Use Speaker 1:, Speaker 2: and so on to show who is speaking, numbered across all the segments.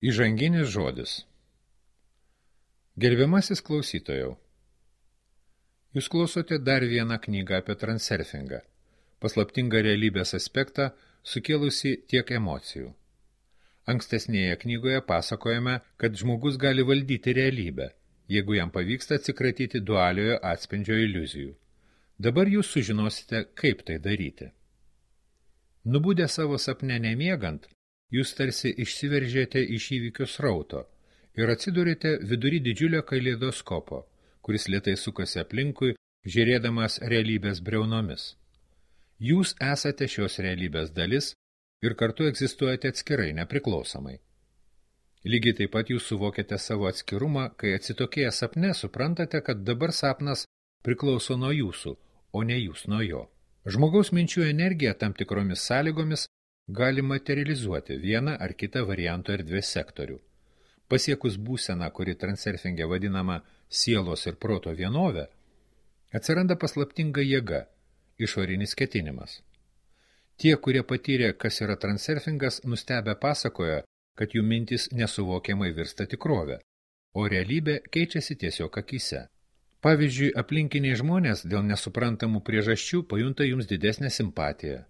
Speaker 1: Įžanginis žodis. Gerbiamasis klausytojau, jūs klausote dar vieną knygą apie transurfingą, paslaptingą realybės aspektą, sukėlusi tiek emocijų. Ankstesnėje knygoje pasakojame, kad žmogus gali valdyti realybę, jeigu jam pavyksta atsikratyti dualiojo atspindžio iliuzijų. Dabar jūs sužinosite, kaip tai daryti. Nubudę savo sapne nemiegant, jūs tarsi išsiveržėte iš įvykių srauto ir atsidurite vidury didžiulio kaleidoskopo, kuris lėtai sukasi aplinkui, žiūrėdamas realybės briaunomis. Jūs esate šios realybės dalis ir kartu egzistuojate atskirai, nepriklausomai. Lygiai taip pat jūs suvokiate savo atskirumą, kai atsitokėję sapne suprantate, kad dabar sapnas priklauso nuo jūsų, o ne jūs nuo jo. Žmogaus minčių energija tam tikromis sąlygomis gali materializuoti vieną ar kitą varianto erdvės sektorių. Pasiekus būseną, kuri transurfinge vadinama sielos ir proto vienove, atsiranda paslaptinga jėga, išorinis ketinimas. Tie, kurie patyrė, kas yra transurfingas, nustebę pasakoja, kad jų mintis nesuvokiamai virsta tikrove, o realybė keičiasi tiesiog akyse. Pavyzdžiui, aplinkiniai žmonės dėl nesuprantamų priežasčių pajunta jums didesnę simpatiją.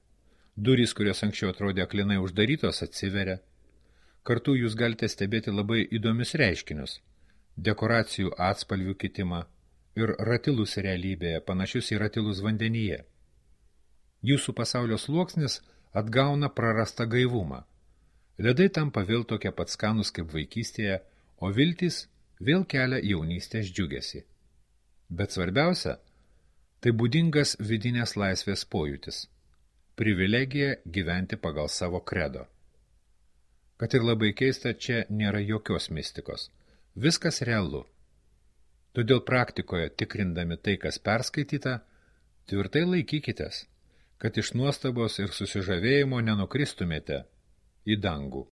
Speaker 1: Durys, kurios anksčiau atrodė aklinai uždarytos, atsiveria. Kartu jūs galite stebėti labai įdomius reiškinius – dekoracijų atspalvių kitimą ir ratilus realybėje, panašius į ratilus vandenyje. Jūsų pasaulio sluoksnis atgauna prarastą gaivumą. Ledai tampa vėl tokie pat skanus kaip vaikystėje, o viltys vėl kelia jaunystės džiugesį. Bet svarbiausia – tai būdingas vidinės laisvės pojūtis. Privilegija gyventi pagal savo kredo. Kad ir labai keista, čia nėra jokios mistikos. Viskas realu. Todėl praktikoje, tikrindami tai, kas perskaityta, tvirtai laikykitės, kad iš nuostabos ir susižavėjimo nenukristumėte į dangų.